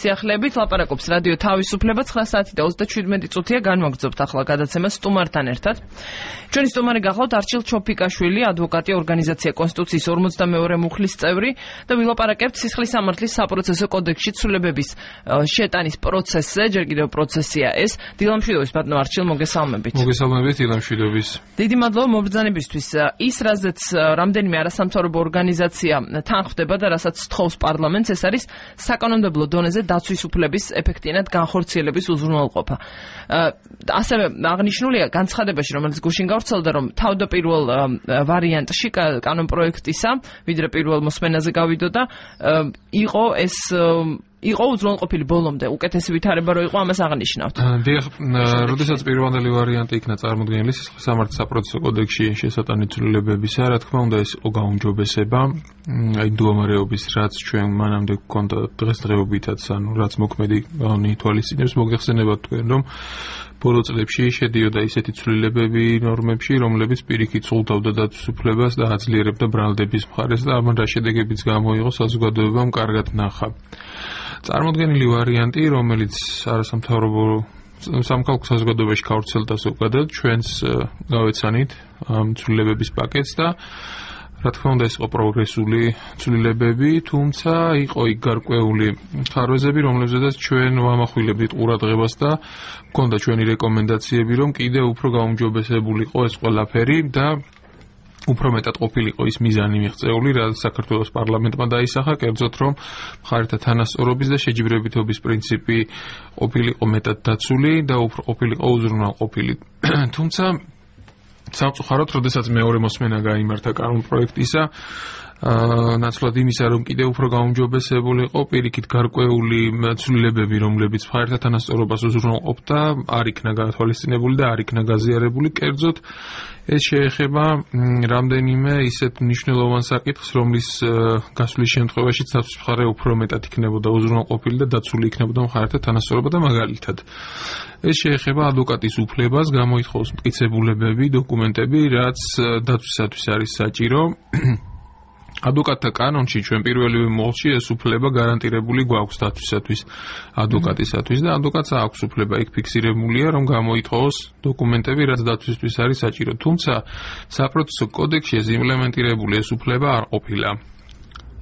სიახლეებით ლაპარაკობს რადიო თავისუფლება 9:27 განვაგრძობთ ახლა გადაცემა სტუმართან ერთად. ჩვენი სტუმარი გახლავთ არჩილ ჩოფიკაშვილი, ადვოკატი, ორგანიზაცია კონსტიტუციის 42 მუხლის წევრი და ვილაპარაკებთ სისხლის სამართლის საპროცესო კოდექსში ცვლილებების შეტანის პროცესზე, ჯერ კიდევ პროცესია ეს. დილამშვიდობის ბატონო არჩილ, მოგესალმებით. მოგესალმებით, დილამშვიდობის. დიდი მადლობა მობრძანებისთვის. ის რაზეც რამდენიმე არასამთავრობო ორგანიზაცია თან ხვდება და რასაც სთხოვს პარლამენტს, ეს არის საკანონმდებლო დონეზე დაცვის უფლების ეფექტიანად განხორციელების უზრუნველყოფა. ასევე აღნიშნულია განცხადებაში, რომელიც გუშინ გავრცელდა, რომ თავდაპირველ ვარიანტში კანონპროექტისა, ვიდრე პირველ მოსმენაზე გავიდოდა, იყო უზრუნველყოფილი ბოლომდე, უკეთესი ვითარება რო იყო, ამას აღნიშნავთ. დიახ, როდესაც პირველი ვარიანტი იქნა წარმოდგენილი სისხლის სამართლის საპროცესო კოდექსში შესატანი ცვლილებებისა, რა თქმა უნდა, ეს იყო გაუმჯობესება, აი მდგომარეობის, რაც ჩვენ მანამდე გვქონდა დღესდღეობითაც, ანუ რაც მოქმედი კანონი ითვალისწინებს, მოგეხსენებათ თქვენ, რომ ბოლო წლებში შედიოდა ისეთი ცვლილებები ნორმებში, რომლებიც პირიქით სულთავდა დაცვის უფლებას და აძლიერებდა ბრალდების მხარეს და ამან რა შედეგებიც გამოიღო საზოგადოებამ კარგად ნახა. წარმოდგენილი ვარიანტი, რომელიც არასამთავრობო სამხალხო საზოგადოებაში გავრცელდა ზოგადად, ჩვენს გავეცანით ამ ცვლილებების პაკეტს და რა თქმა უნდა ეს იყო პროგრესული ცვლილებები, თუმცა იყო იქ გარკვეული ხარვეზები, რომლებზედაც ჩვენ ვამახვილებდით ყურადღებას და მქონდა ჩვენი რეკომენდაციები, რომ კიდევ უფრო გაუმჯობესებულიყო ეს ყველაფერი და უფრო მეტად ყოფილიყო ის მიზანი მიღწეული, რაც საქართველოს პარლამენტმა დაისახა, კერძოდ რომ მხარეთა თანასწორობის და შეჯიბრებითობის პრინციპი ყოფილიყო მეტად დაცული და უფრო ყოფილიყო უზრუნველყოფილი. თუმცა სამწუხაროდ, როდესაც მეორე მოსმენა გაიმართა კანონპროექტისა, ნაცვლად იმისა, რომ კიდევ უფრო გაუმჯობესებულიყო პირიქით გარკვეული ცვლილებები, რომლებიც მხარეთა თანასწორობას უზრუნველყოფდა, არ იქნა გათვალისწინებული და არ იქნა გაზიარებული, კერძოდ ეს შეეხება რამდენიმე ისეთ მნიშვნელოვან საკითხს, რომლის გასვლის შემთხვევაში დაცვის მხარე უფრო მეტად იქნებოდა უზრუნველყოფილი და დაცული იქნებოდა მხარეთა თანასწორობა და მაგალითად ეს შეეხება ადვოკატის უფლებას, გამოითხოვს მტკიცებულებები, დოკუმენტები, რაც დაცვისათვის არის საჭირო. ადვოკატთა კანონში ჩვენ პირველივე მოლში ეს უფლება გარანტირებული გვაქვს დაცვისათვის, ადვოკატისათვის და ადვოკატს აქვს უფლება იქ ფიქსირებულია, რომ გამოითხოვოს დოკუმენტები, რაც დაცვისთვის არის საჭირო. თუმცა საპროცესო კოდექსში ეს იმპლემენტირებული ეს უფლება არ ყოფილა.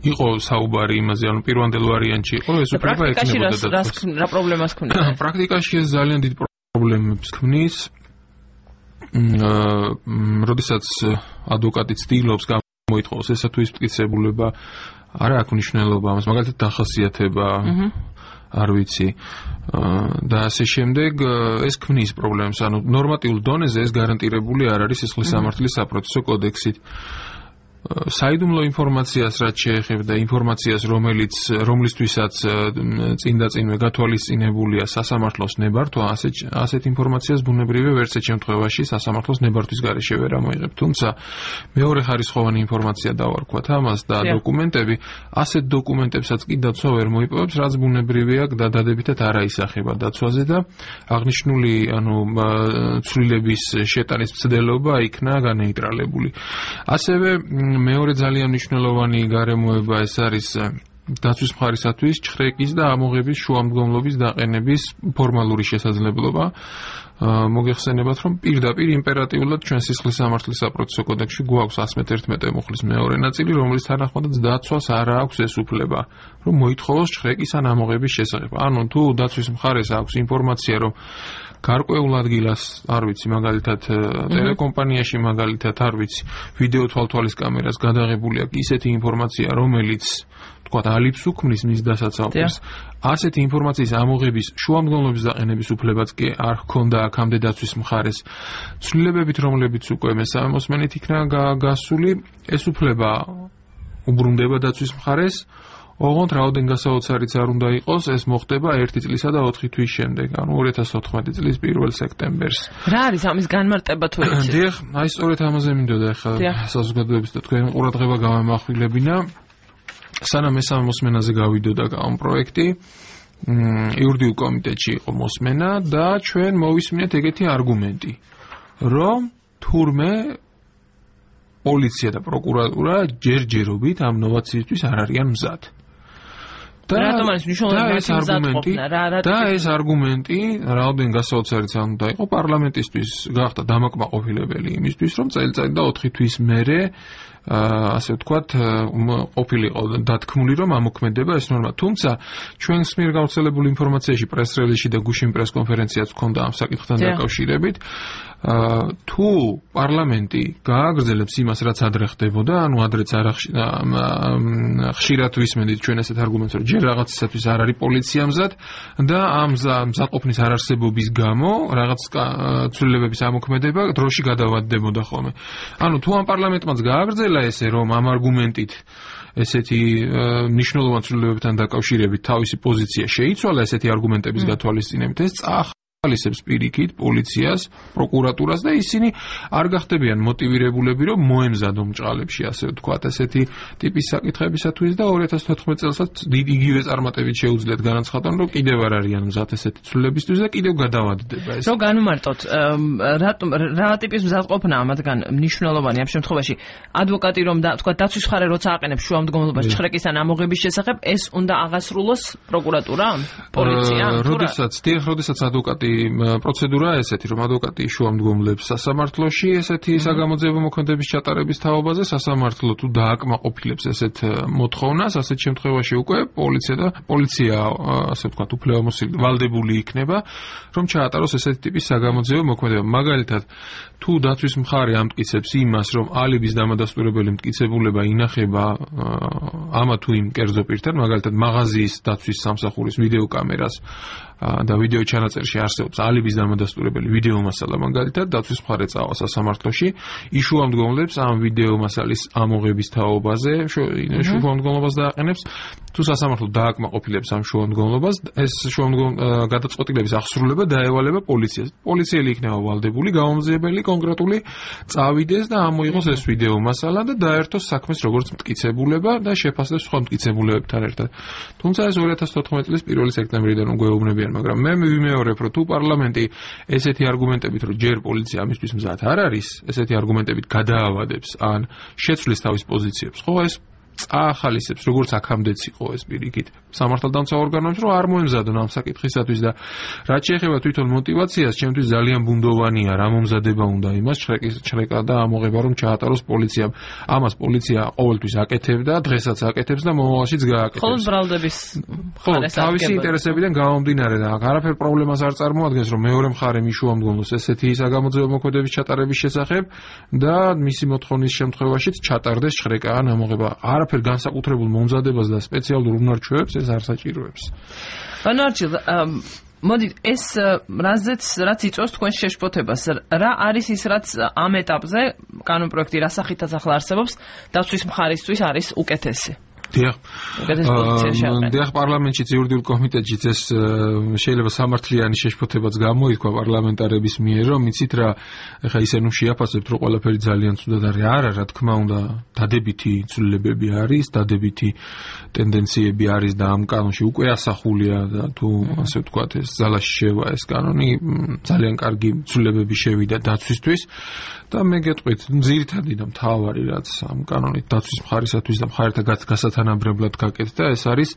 იყო საუბარი იმაზე, ანუ პირველ ვარიანტში იყო ეს უფლება ექნებოდა დაცვას. რა პრობლემას ქმნიდა? პრაქტიკაში ეს ძალიან დიდ პრობლემებს ქმნის. როდესაც ადვოკატი ცდილობს მოითხოვს ესა თუ ის მტკიცებულება არა აქვს მნიშვნელობა ამას, მაგალითად დახასიათება არ ვიცი და ასე შემდეგ ეს ქმნის პრობლემას, ანუ ნორმატიულ დონეზე ეს გარანტირებული არ არის სისხლის სამართლის საპროცესო კოდექსით. საიდუმლო ინფორმაციას რაც შეეხება ინფორმაციას, რომლისთვისაც წინდაწინვე გათვალისწინებულია სასამართლოს ნებართვა, ასეთ ინფორმაციას ბუნებრივია ვერცერთ შემთხვევაში სასამართლოს ნებართვის გარეშე ვერ ამოიღებ. თუმცა მეორე ხარისხოვანი ინფორმაცია დავარქვათ ამას და დოკუმენტები, ასეთ დოკუმენტებსაც კი დაცვა ვერ მოიპოვებს, რაც ბუნებრივია და დადებითად არ აისახება დაცვაზე და აღნიშნული ცვლილების შეტანის მცდელობა იქნა განეიტრალებული. ასევე მეორე ძალიან მნიშვნელოვანი გარემოება ეს არის დაცვის მხარისათვის ჩხრეკის და ამოღების შუამდგომლობის დაყენების ფორმალური შესაძლებლობა. მოგეხსენებათ, რომ პირდაპირ იმპერატიულად ჩვენ სისხლის სამართლის საპროცესო კოდექსში გვაქვს 111 მუხლის მეორე ნაწილი, რომლის თანახმადაც დაცვას არ აქვს ეს უფლება, რომ მოითხოვოს ჩხრეკის ან ამოღების შესახებ. ანუ თუ დაცვის მხარეს აქვს ინფორმაცია, რომ გარკვეულ ადგილას, არ ვიცი, მაგალითად ტელეკომპანიაში, მაგალითად, არ ვიცი, ვიდეო თვალთვალის კამერას გადაღებული აქვს ისეთი ინფორმაცია, რომელიც თქვათ ალიფს უქმნის მის დასაცავად. ასეთი ინფორმაციის ამოღების შუამდგომლობის დაყენების უფლებაც კი არ ჰქონდა აქამდე დაცვის მხარეს. ცვლილებებით, რომლებიც უკვე მესამე მოსმენით იქნა გასული, ეს უფლება უბრუნდება დაცვის მხარეს. ოღონდ რაოდენ გასაოცარიც არ უნდა იყოს, ეს მოხდება 1 წლისა და 4 თვის შემდეგ, ანუ 2014 წლის 1 სექტემბერს. რა არის ამის განმარტება თუ იცით? დიახ, აი სწორედ ამაზე მინდოდა ახლა საზოგადოების და თქვენი ყურადღება გამამახვილებინა. სანამ მესამე მოსმენაზე გავიდოდა კანონპროექტი, იურიდიულ კომიტეტში იყო მოსმენა და ჩვენ მოვისმინეთ ეგეთი არგუმენტი, რომ თურმე პოლიცია და პროკურატურა ჯერჯერობით ამ ნოვაციისთვის არ არიან მზად. რატომ არის მნიშვნელოვანი და ეს არგუმენტი რაოდენ გასაოცარიც არ უნდა იყო პარლამენტისთვის გახდა დამაკმაყოფილებელი იმისთვის რომ წელიწადი და 4 თვის მერე ასე ვთქვათ ყოფილიყო დათქმული რომ ამოქმედება ეს ნორმა თუმცა ჩვენს მიერ გავრცელებული ინფორმაციაში პრეს-რელიზში და გუშინ პრეს-კონფერენციაც ჰქონდა ამ საკითხთან დაკავშირებით თუ პარლამენტი გააგრძელებს იმას რაც ადრე ხდებოდა ანუ ადრეც არ ხშირად ვისმენთ ჩვენ ესეთ არგუმენტს რომ ჯერ რაღაცისათვის არ არის პოლიცია მზად და ამ მზადყოფნის არარსებობის გამო რაღაც ცვლილებების ამოქმედება დროში გადავადდებოდა ხოლმე ანუ თუ ამ პარლამენტმაც გააგრძელა ესე რომ ამ არგუმენტით ესეთი მნიშვნელოვანი ცვლილებებთან დაკავშირებით თავისი პოზიცია შეიცვალა ესეთი არგუმენტების გათვალისწინებით ეს ხალისებს პირიქით პოლიციას, პროკურატურას და ისინი არ გახდებიან მოტივირებულები რომ მოემზადონ მჭყალებში ასე ვთქვათ ესეთი ტიპის საკითხებისათვის და 2014 წელსაც იგივე წარმატებით შეუძლიათ განაცხადონ რომ კიდევ არ არიან მზად ესეთი ცვლილებისთვის და კიდევ გადავადდება ეს. რომ განვმარტოთ რა ტიპის მზადყოფნაა მათგან მნიშვნელოვანი ამ შემთხვევაში ადვოკატი რომ თქვა დაცვის მხარე როცა აყენებს შუამდგომლობაში ჩხრეკის ან ამოღების შესახებ ეს უნდა აღასრულოს პროკურატურამ, პოლიციამ? როდესაც ადვოკატი პროცედურაა ესეთი, რომ ადვოკატი შუამდგომლებს სასამართლოში ესეთი საგამოძიებო მოქმედების ჩატარების თაობაზე, სასამართლო თუ დააკმაყოფილებს ესეთ მოთხოვნას, ასეთ შემთხვევაში უკვე პოლიცია, ასე ვთქვათ, უფლებამოსილი ვალდებული იქნება, რომ ჩაატაროს ესეთი ტიპის საგამოძიებო მოქმედება. მაგალითად, თუ დაცვის მხარე ამტკიცებს იმას, რომ ალიბის დამადასტურებელი მტკიცებულება ინახება ამა თუ იმ კერძო პირთან, მაგალითად, მაღაზიის დაცვის სამსახურის ვიდეოკამერას და ვიდეო ჩანაწერში არსებობს ალიბის დამადასტურებელი ვიდეო მასალა მაგალითად დაცვის მხარე წავა სასამართლოში იშუამდგომლებს ამ ვიდეო მასალის ამოღების თაობაზე შუამდგომლობას დააყენებს თუ სასამართლო დააკმაყოფილებს ამ შუამდგომლობას ეს გადაწყვეტილების აღსრულება დაევალება პოლიციას პოლიციელი იქნება ვალდებული გამომძიებელი კონკრეტული წავიდეს და ამოიღოს ეს ვიდეო მასალა და დაერთოს საქმეს როგორც მტკიცებულება და შეფასდეს სხვა მტკიცებულებებთან ერთად თუმცა ეს 2014 წლის 1 სექტემბრიდან უკვე ეუბნებიან მაგრამ მე ვიმეორებ რომ თუ პარლამენტი ესეთი არგუმენტებით რომ ჯერ პოლიცია ამისთვის მზად არ არის ესეთი არგუმენტებით გადაავადებს ან შეცვლის თავის პოზიციებს ხო ეს ახალისებს როგორც აქამდეც იყო ეს პირიქით სამართალდამცავ ორგანოებს რომ არ მოემზადონ ამ საკითხისათვის და რაც შეეხება თვითონ мотиваციას ჩემთვის ძალიან ბუნდოვანია რა მომზადება უნდა იმას ჩრეკა და ამოღება რომ ჩაატაროს პოლიციამ ამას პოლიცია ყოველთვის აკეთებდა დღესაც აკეთებს და მომავალშიც გააკეთებს ხოლმე ბრალდების თავისი ინტერესებიდან გამომდინარე და არაფერ პრობლემას არ წარმოადგენს რომ მეორე მხარე მიშუამდგომლოს ესეთი საგამოძიებო მოქმედების ჩატარების შესახებ და მისი მოთხოვნის შემთხვევაშიც ჩატარდეს ჩრეკა ან ამოღება არაფერ განსაკუთრებულ მომზადებას და სპეციალურ უნარჩვევებს ეს არ საჭიროებს. Ბანარჩილ, მოდი ეს რაც იწვევს თქვენ შეშფოთებას, რა არის ის რაც ამ ეტაპზე კანონპროექტი რა სახითაც ახლა არსებობს, დაცვის მხარისთვის არის უკეთესი? დიახ პარლამენტში იურიდიულ კომიტეტშიც ეს შეიძლება სამართლიანი შეშფოთებაც გამოიქვა პარლამენტარების მიერ რომ იცით რა ეხა ისე ნუ შეაფასებთ რომ ყველაფერი ძალიან ცუდად არის არა რა თქმა უნდა დადებითი ცვლილებები არის დადებითი ტენდენციები არის და ამ კანონში უკვე ასახულია და თუ ასე ვთქვათ ეს ძალაში შევა ეს კანონი ძალიან კარგი ცვლილებები შევიდა დაცვისთვის და მე გეტყვით ძირითადი და მთავარი რაც ამ კანონით დაცვის მხარისათვის და მხარეთა გასათანაბრებლად გაკეთდა ეს არის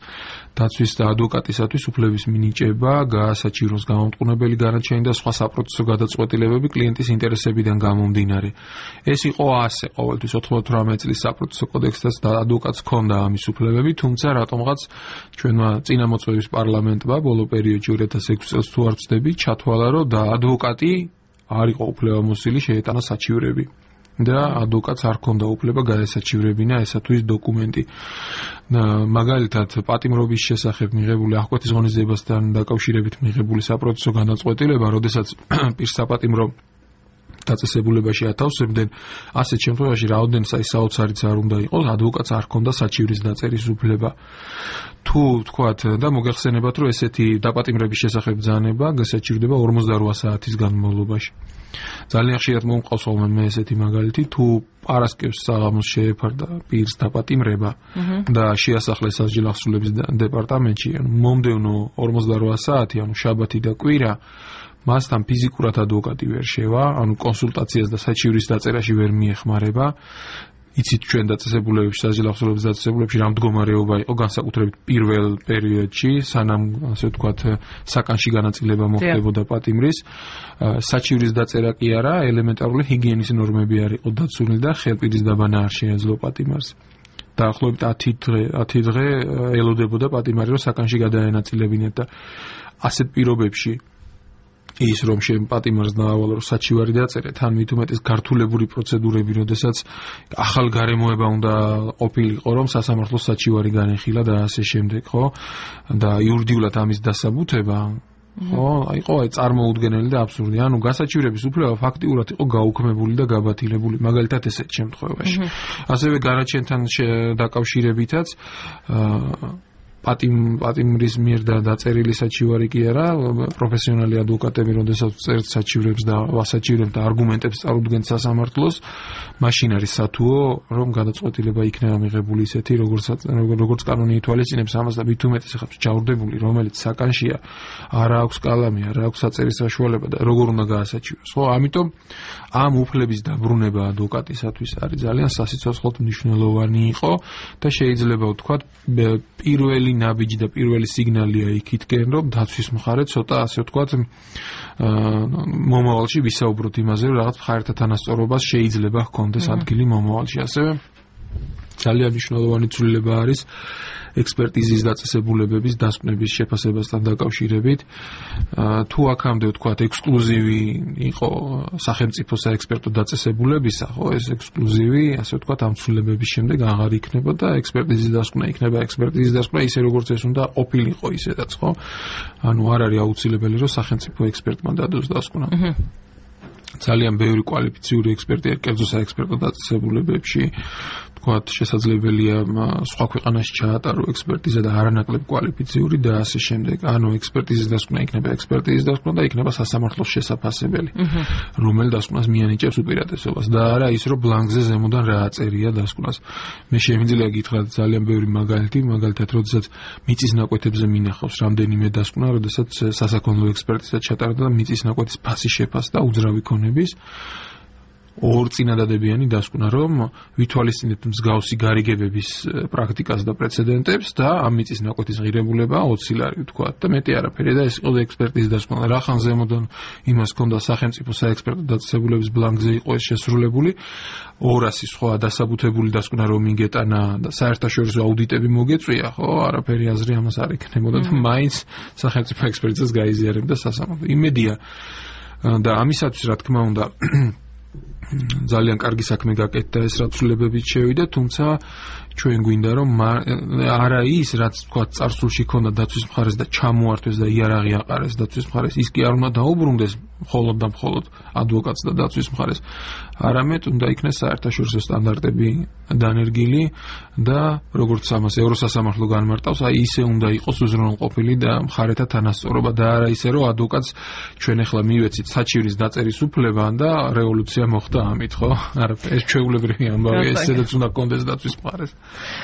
დაცვის და ადვოკატისათვის უფლების მინიჭება, გაასაჭიროს გამომტყუნებელი განაჩენი და სხვა საპროცესო გადაწყვეტილებები კლიენტის ინტერესებიდან გამომდინარე. ეს იყო ასე ყოველთვის 98 წლის საპროცესო კოდექსსაც და ადვოკატს ჰქონდა ამის უფლებები, თუმცა რატომღაც ჩვენმა წინამოწვევის პარლამენტმა ბოლო პერიოდში 2006 წელს თუ არ ვცდები, ჩათვალა რომ და ადვოკატი არ იყო უფლებამოსილი შეეტანა საჩივრები. და ადვოკატს არ ჰქონდა უფლება გადაესაჩივრებინა ესა თუ ის დოკუმენტი. მაგალითად, პატიმრობის შესახებ მიღებული აღკვეთის ღონისძიებასთან დაკავშირებით მიღებული საპროცესო განაწყვეტილება, როდესაც პირს საპატიმრო დაწესებულებაში ათავსებდნენ, ასეთ შემთხვევაში რაოდენსაც საოცარიც არ უნდა იყოს, ადვოკატს არ ჰქონდა საჩივრის დაწერის უფლება. თუ თქვათ და მოგეხსენებათ, რომ ესეთი დაპატიმრების შესახებ ბრძანება გასაჭირდება 48 საათის განმავლობაში. ძალიან ხშირად მომყავს ხოლმე მე ესეთი მაგალითი, თუ პარასკევს საღამოს შეეფარდა პირს დაპატიმრება და შეასახლეს სასჯელ აღსრულების დეპარტამენტში, მომდევნო 48 საათი, ანუ შაბათი და კვირა მასთან ფიზიკურად ადვოკატი ვერ შევა, ანუ კონსულტაციას და საჩივრის დაწერაში ვერ მიეხმარება. იცით ჩვენ დაწესებულებებში, საჯილახსოვრების დაწესებულებებში რა მდგომარეობა იყო განსაკუთრებით პირველ პერიოდში, სანამ ასე ვთქვათ, საკანში განაწილება მოხდებოდა პატიმრის, საჩივრის დაწერა კი არა, ელემენტარული ჰიგიენის ნორმები არ იყო დაცული და ხელპირის დაბანა არ შეეძლო პატიმარს. დაახლოებით 10 დღე ელოდებოდა პატიმარი, რომ საკანში გადაენაწილებინათ და ასეთ პირობებში ის რომ პატიმარს დაავალო რომ საჩივარი დაწერეთ, ან მით უმეტეს გართულებული პროცედურები, როდესაც ახალ გარემოება უნდა ყოფილიყო, რომ სასამართლოს საჩივარი განეხილა და ასე შემდეგ, ხო? და იურიდიულად ამის დასაბუთება ხო, იყო წარმოუდგენელი და აბსურდი. ანუ გასაჩივრების უფლება ფაქტიურად იყო გაუქმებული და გაბათილებული, მაგალითად ესეთ შემთხვევაში. ასევე განაჩენთან დაკავშირებითაც პატიმრის მიერ დაწერილი საჩივარი კი არა, პროფესიონალი ადვოკატები, როდესაც წერთ საჩივრებს და ვასაჩივრებს და არგუმენტებს წარუდგენთ სასამართლოს, მაშინ არის სათუო, რომ გადაწყვეტილება იქნება მიღებული ისეთი, როგორც კანონი ითვალისწინებს ამას და მით უმეტეს ახლა ჩაურდებული, რომელიც საკანშია, არ აქვს კალამი, არ აქვს საწერის საშუალება და როგორ უნდა გაასაჩივროს. ხო, ამიტომ ამ უფლების დაბრუნება ადვოკატისათვის არის ძალიან სასიცოცხლოდ მნიშვნელოვანი იყო და შეიძლება ვთქვათ, პირველი ნაბიჯი და პირველი სიგნალია იქითკენ, რომ დაცვის მხარე ცოტა ასე ვთქვათ, მომავალში ვისაუბროთ იმაზე, რომ რაღაც მხარეთა თანასწორობას შეიძლება ჰქონდეს ადგილი მომავალში. ასევე ძალიან მნიშვნელოვანი ცვლილება არის ექსპერტიზის დაწესებულებების დასკვნების შეფასებასთან დაკავშირებით. თუ აქამდე ვთქვათ, ექსკლუზივი იყო სახელმწიფო საექსპერტო დაწესებულებისა, ხო, ეს ექსკლუზივი, ასე ვთქვათ, ამ ცვლილებების შემდეგ აღარ იქნება და ექსპერტიზის დასკვნა იქნება ექსპერტიზის დასკვნა ისე როგორც ეს უნდა ყოფილიყო ისედაც, ხო? ანუ არ არის აუცილებელი, რომ სახელმწიფო ექსპერტმა დადოს დასკვნა. ძალიან ბევრი კვალიფიციური ექსპერტი არის კერძო საექსპერტო დაწესებულებებში. ვთქვათ, შესაძლებელია სხვა ქვეყანაში ჩაატარო ექსპერტიზა და არანაკლებ კვალიფიციური და ასე შემდეგ. ანუ ექსპერტიზის დასკვნა იქნება ექსპერტიზის დასკვნა და იქნება სასამართლოს შესაფასებელი, რომელი დასკვნას მიანიჭებს უპირატესობას და არა ის, რომ ბლანკზე ზემოდან რა აწერია დასკვნას. მე შემიძლია გითხრათ ძალიან ბევრი მაგალითი, მაგალითად, როდესაც მიწის ნაკვეთებზე მინახავს რამდენიმე დასკვნა, როდესაც სასაქონლო ექსპერტიზა ჩატარდა და მიწის ნაკვეთის ფასი შეფასდა უძრავი ქონების. ორ წინადადებიანი დასკვნა, რომ ვითვალისწინებთ მსგავსი გარიგებების პრაქტიკას და პრეცედენტებს და ამ მიწის ნაკვეთის ღირებულება 20 ლარი ვთქვათ და მეტი არაფერი და ეს იყო ექსპერტიზის დასკვნა. რახან ზემოდან იმას ჰქონდა სახელმწიფო საექსპერტო დაწესებულების ბლანკზე იყო ეს შესრულებული 200 სხვა დასაბუთებული დასკვნა რომ იგეტანა და საერთაშორისო აუდიტები მოგეწვია, ხო, არაფერი აზრი ამას არ იქნებოდა და მაინც სახელმწიფო ექსპერტიზას გაიზიარებდა სასამართლო. იმედია და ამისათვის რა თქმა უნდა ძალიან კარგი საქმე გაკეთდა ეს რა ცვლილებებით შევიდა, თუმცა ჩვენ გვინდა რომ არა ის რაც თქვა წარსულში ქონდა დაცვის მხარეს და ჩამოართვეს და იარაღი აყარეს დაცვის მხარეს, ის კი არ უნდა დაუბრუნდეს მხოლოდ და მხოლოდ ადვოკატს და დაცვის მხარეს, არამედ უნდა იქნეს საერთაშორისო სტანდარტები დანერგილი და როგორც ამას ევროსასამართლო განმარტავს, აი ისე უნდა იყოს უზრუნველყოფილი და მხარეთა თანასწორობა და არა ისე რომ ადვოკატს ჩვენ ახლა მივეცით საჩივრის დაწერის უფლება და რევოლუცია მოხდა ამით, ხო? არა, ეს ჩვეულებრივი ამბავია, ესედაც უნდა კონდეს დაცვის მხარეს.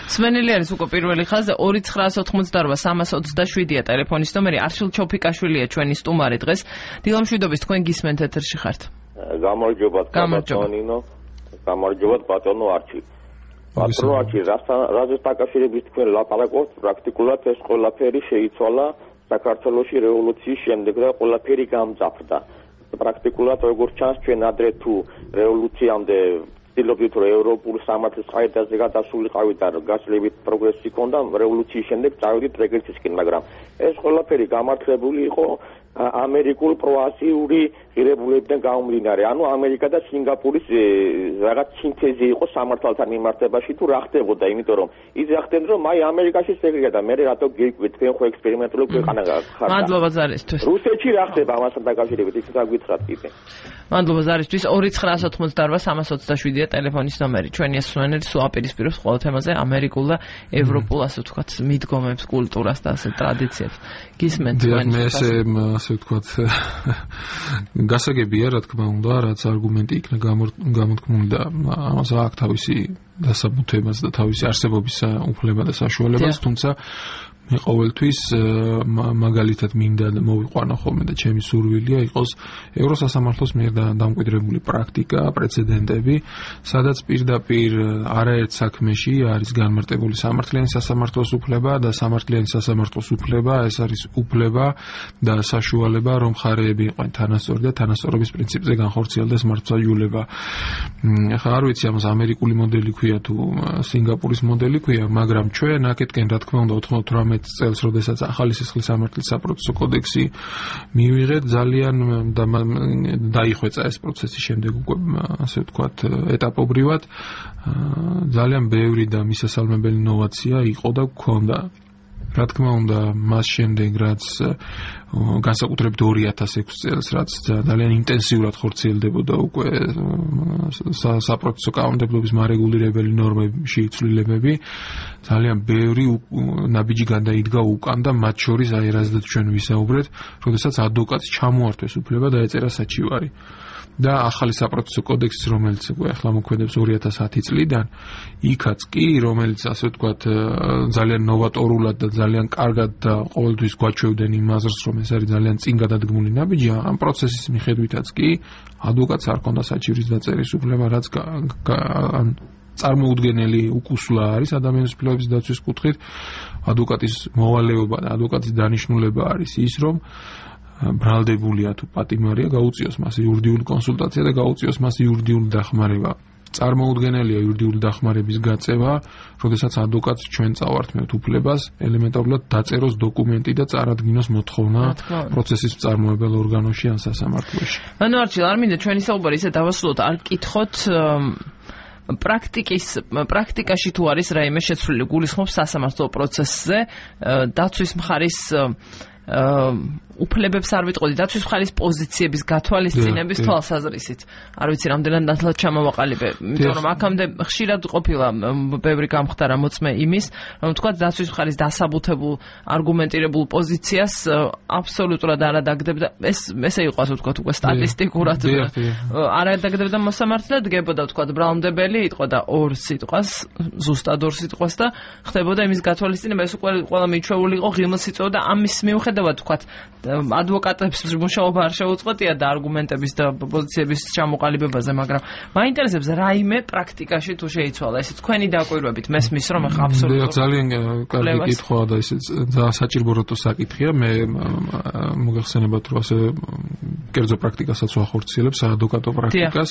სვენელი არის უკვე პირველი ხაზზე 2988-327-ია ტელეფონის ნომერი. არშილ ჩოფიკაშვილია ჩვენი სტუმარი დღეს. დილამშვიდობის, თქვენ გისმენთ ეთერში ხართ. გამარჯობათ ბატონო, გამარჯობათ ბატონო არჩი. ბატონო არჩი, რაზეც დაკავშირებით თქვენ ლაპარაკობთ, პრაქტიკულად ეს ყველაფერი შეიცვალა საქართველოში რევოლუციის შემდეგ და ყველაფერი გამძაფრდა. პრაქტიკულად როგორც ჩანს ჩვენ ადრე თუ რევოლუციამდე ცდილობდით რომ ევროპულ სამართლის ყაიდაზე გადასულიყავით და გასლებით პროგრესი ჰქონდა, რევოლუციის შემდეგ წავედით რეგრესისკენ, მაგრამ ეს ყველაფერი გამართლებული იყო ამერიკულ პროაზიური ღირებულებიდან გამომდინარე. ანუ ამერიკა და სინგაპურის რაღაც სინთეზი იყო სამართალთან მიმართებაში თუ რა ხდებოდა, იმიტომ რომ იძახდნენ რომ აი ამერიკაში ეგრეა და მე რატო გიკვით, თქვენ ხო ექსპერიმენტული ქვეყანა ხართ. მადლობა ზარისთვის. რუსეთში რა ხდება ამასთან დაკავშირებით, ის გაგვითხრათ კიდე. მადლობა ზარისთვის. 2988-327-ია ტელეფონის ნომერი. ჩვენი სვენელი სულ აპირისპირებს ყოველ თემაზე ამერიკულ და ევროპულ, ასე ვთქვათ, მიდგომებს, კულტურას და ასე ტრადიციებს. გისმენთ თქვენ. ასე ვთქვათ, გასაგებია, რა თქმა უნდა, რაც არგუმენტი იქნა გამოთქმული და ამას აქვს თავისი დასაბუთებაც და თავისი არსებობის უფლება და საშუალებაც, თუმცა მე ყოველთვის მაგალითად მინდა მოვიყვანო ხოლმე და ჩემი სურვილია იყოს ევროსასამართლოს მიერ დამკვიდრებული პრაქტიკა, პრეცედენტები, სადაც პირდაპირ არაერთ საქმეში არის განმარტებული სამართლიანი სასამართლოს უფლება და სამართლიანი სასამართლოს უფლება, ეს არის უფლება და საშუალება, რომ მხარეები იყვნენ თანასწორი და თანასწორობის პრინციპზე განხორციელდეს მართლმსაჯულება. ახლა არ ვიცი ამას ამერიკული მოდელი ქვია თუ სინგაპურის მოდელი ქვია, მაგრამ ჩვენ აქეთკენ რა თქმა უნდა 98 წელს, როდესაც ახალი სისხლის სამართლის საპროცესო კოდექსი მივიღეთ, ძალიან დაიხვეწა ეს პროცესი შემდეგ უკვე ასე ვთქვათ ეტაპობრივად. ძალიან ბევრი და მისასალმებელი ინოვაცია იყო და გქონდა. რა თქმა უნდა, მას შემდეგ რაც განსაკუთრებით 2006 წელს, რაც ძალიან ინტენსიურად ხორციელდებოდა უკვე საპროცესო კანონმდებლობის მარეგულირებელი ნორმებში ცვლილებები, ძალიან ბევრი ნაბიჯი გადაიდგა უკან და მათ შორის აი რაზეც ჩვენ ვისაუბრეთ, როდესაც ადვოკატს ჩამოართვეს უფლება დაეწერა საჩივარი. და ახალი საპროცესო კოდექსი, რომელიც ახლა მოქმედებს 2010 წლიდან, იქაც კი, რომელიც ასე ვთქვათ ძალიან ნოვატორულად და ძალიან კარგად და ყოველთვის გვაჩვევდნენ იმ აზრს, რომ ეს არის ძალიან წინ გადადგმული ნაბიჯი, ამ პროცესის მიხედვითაც კი ადვოკატს არ ჰქონდა საჩივრის დაწერის უფლება, რაც წარმოუდგენელი უკუსლა არის ადამიანის უფლებების დაცვის კუთხით. ადვოკატის მოვალეობა და ადვოკატის დანიშნულება არის ის, რომ ბრალდებულია თუ პატიმარია, გაუწიოს მას იურიდიული კონსულტაცია და გაუწიოს მას იურიდიული დახმარება. წარმოუდგენელია იურიდიული დახმარების გაწევა, როდესაც ადვოკატს ჩვენ წავართმევთ უფლებას ელემენტარულად დაწეროს დოკუმენტი და წარადგინოს მოთხოვნა პროცესის მწარმოებელ ორგანოში ან სასამართლოში. ანუ არჩილ, არ მინდა ჩვენი საუბარი ისე დავასრულოთ, არ გკითხოთ პრაქტიკაში თუ არის რაიმე შეცვლილი გულისხმობს სასამართლო პროცესზე დაცვის მხარის უფლებებს არ ვიტყოდი, დაცვის მხარის პოზიციების გათვალისწინების თვალსაზრისით. არ ვიცი, რამდენად ნათლად ჩამოვაყალიბე, იმიტომ რომ აქამდე ხშირად ყოფილა ბევრი გამხდარა მოწმე იმის, რომ თქვა დაცვის მხარის დასაბუთებულ არგუმენტირებულ პოზიციას აბსოლუტურად არ ადაგდებდა. ესე იყო ასე ვთქვათ უკვე სტატისტიკურად. არ ადაგდებდა მოსამართლე, დგებოდა ვთქვათ ბრალმდებელი, იტყოდა ორ სიტყვას, ზუსტად ორ სიტყვას და ხდებოდა იმის გათვალისწინება, ეს უკვე ყველა მიჩვეული იყო ღილმს იწვევდა ამის მიუხედავად ვთქვათ ადვოკატებს მუშაობა არ შეუწყვეტია და არგუმენტების და პოზიციების ჩამოყალიბებაზე, მაგრამ მაინტერესებს რაიმე პრაქტიკაში თუ შეიცვალა ესე თქვენი დაკვირვებით მესმის რომ ახლა აბსოლუტურად ძალიან კარგი კითხვაა და ესე საჭიროა საკითხია. მე მოგეხსენებათ რომ ასე კერძო პრაქტიკასაც ვახორციელებ, საადვოკატო პრაქტიკას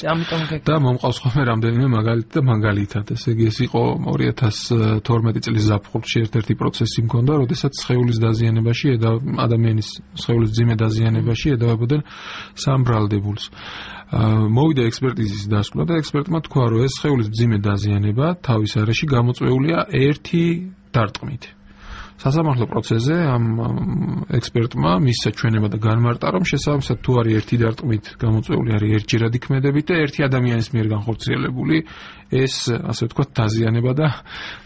და მომყავს ხოლმე რამდენიმე მაგალითი და მაგალითად ესე იგი ეს იყო 2012 წლის ზაფხულში ერთ-ერთი პროცესი მქონდა, როდესაც სხეულის დაზიანებაში ადამიანის სხეულის ძიმე დაზიანებაში ედავებოდნენ სამბრალდებულს. მოვიდა ექსპერტიზის დასკვნა და ექსპერტმა თქვა, რომ ეს სხეულის ძიმე დაზიანება თავის არეში გამოწვეულია ერთი დარტყმით. სასამართლო პროცესზე ამ ექსპერტმა მისცა ჩვენება და განმარტა, რომ შესაბამისად თუ არის ერთი დარტყმით გამოწვეული არის ერთჯერადი ქმედებით და ერთი ადამიანის მიერ განხორციელებული ეს ასე ვთქვათ დაზიანება და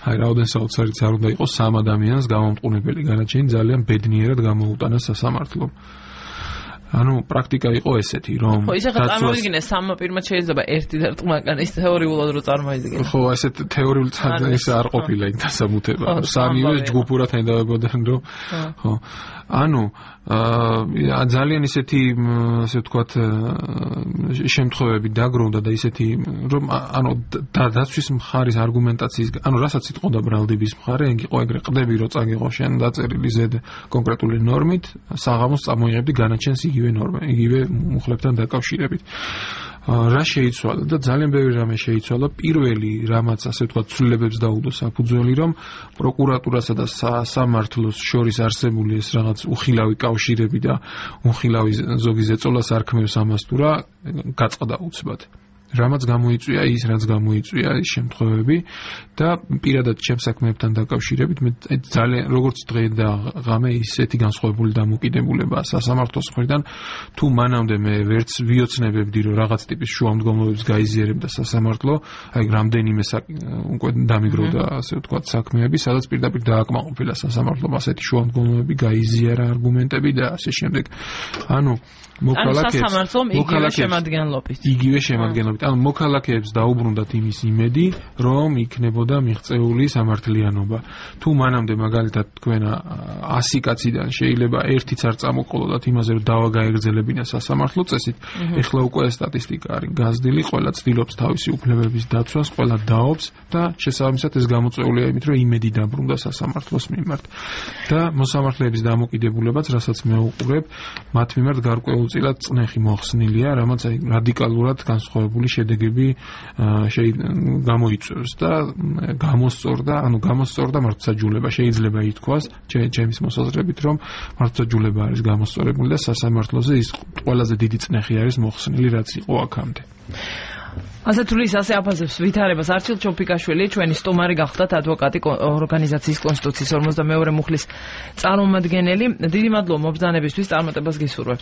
აი რაოდენ საოცარიც არ უნდა იყოს სამ ადამიანს გამომტყუნებელი განაჩენი ძალიან ბედნიერად გამოუტანა სასამართლომ. ანუ პრაქტიკა იყო ესეთი, რომ ხო, ისე წარმოიდგინე სამ პირმაც შეიძლება ერთი დარტყმა კან ის თეორიულად რო წარმოიდგინე. ხო, ესეთ თეორიულ წამს ის არ ყოფილა იქ დასამუთება. სამივე ჯგუფურად ხედავებოდნენ, რომ ხო. ანუ ძალიან ისეთი ასე ვთქვათ შემთხვევები დაგროვდა და ისეთი რომ ანუ დაცვის მხარის არგუმენტაციის ანუ რასაც იტყოდა ბრალდების მხარე, იყო ეგრე ყდები რომ წაგიღო შენ დაწერილი ზედ კონკრეტული ნორმით, საღამოს წამოიღებდი განაჩენს იგივე ნორმა, იგივე მუხლებთან დაკავშირებით. რა შეიცვალა და ძალიან ბევრი რამე შეიცვალა. პირველი რამაც ასე ვთქვათ ცვლილებებს დაუდო საფუძველი, რომ პროკურატურასა და სასამართლოს შორის არსებული ეს რაღაც უხილავი კავშირები და უხილავი ზოგი ზეწოლას არ ქმნევს ამას თუ რა გაწყდა უცბად. რამაც გამოიწვია ის, რაც გამოიწვია ის შემთხვევები და პირადად ჩემს საქმეებთან დაკავშირებით მე ძალიან როგორც დღე და ღამე ისეთი განსხვავებული დამოკიდებულება სასამართლოს მხრიდან თუ მანამდე მე ვერც ვიოცნებებდი რომ რაღაც ტიპის შუამდგომლობებს გაიზიარებდა სასამართლო, აი რამდენიმე უკვე დამიგროვდა ასე ვთქვათ საქმეები, სადაც პირდაპირ დააკმაყოფილა სასამართლომ ასეთი შუამდგომლობები გაიზიარა არგუმენტები და ასე შემდეგ. ანუ მოსახლეობის იგივე შემადგენლობით. იგივე შემადგენლობით. ანუ მოქალაქეებს დაუბრუნდათ იმის იმედი, რომ იქნებოდა მიღწეული სამართლიანობა. თუ მანამდე მაგალითად თქვენ 100 კაციდან შეიძლება ერთიც არ წამოყოლოდათ იმაზე, რომ დავა გაეგრძელებინა სასამართლო წესით, ეხლა უკვე სტატისტიკა არის გაზრდილი, ყველა ცდილობს თავისი უფლებების დაცვას, ყველა დაობს და შესაბამისად ეს გამოწვეულია იმით, რომ იმედი დაბრუნდა სასამართლოს მიმართ. და მოსამართლეების დამოკიდებულებაც, რასაც მე ვუყურებ, მათ მიმართ გარკვეულწილად წნეხი მოხსნილია, რამაც აი რადიკალურად განსხვავებული შედეგები გამოიწვევს და გამოსწორდა მართლმსაჯულება. შეიძლება ითქვას, ჩემის მოსაზრებით, რომ მართლმსაჯულება არის გამოსწორებული და სასამართლოზე ის ყველაზე დიდი წნეხი არის მოხსნილი, რაც იყო აქამდე. ასე თუ ის ასე აფასებს ვითარებას არჩილ ჩოფიკაშვილი ჩვენი სტუმარი გახდათ ადვოკატი ორგანიზაციის კონსტიტუციის 52 მუხლის წარმომადგენელი. დიდი მადლობა მობრძანებისთვის, წარმატებას გისურვებთ.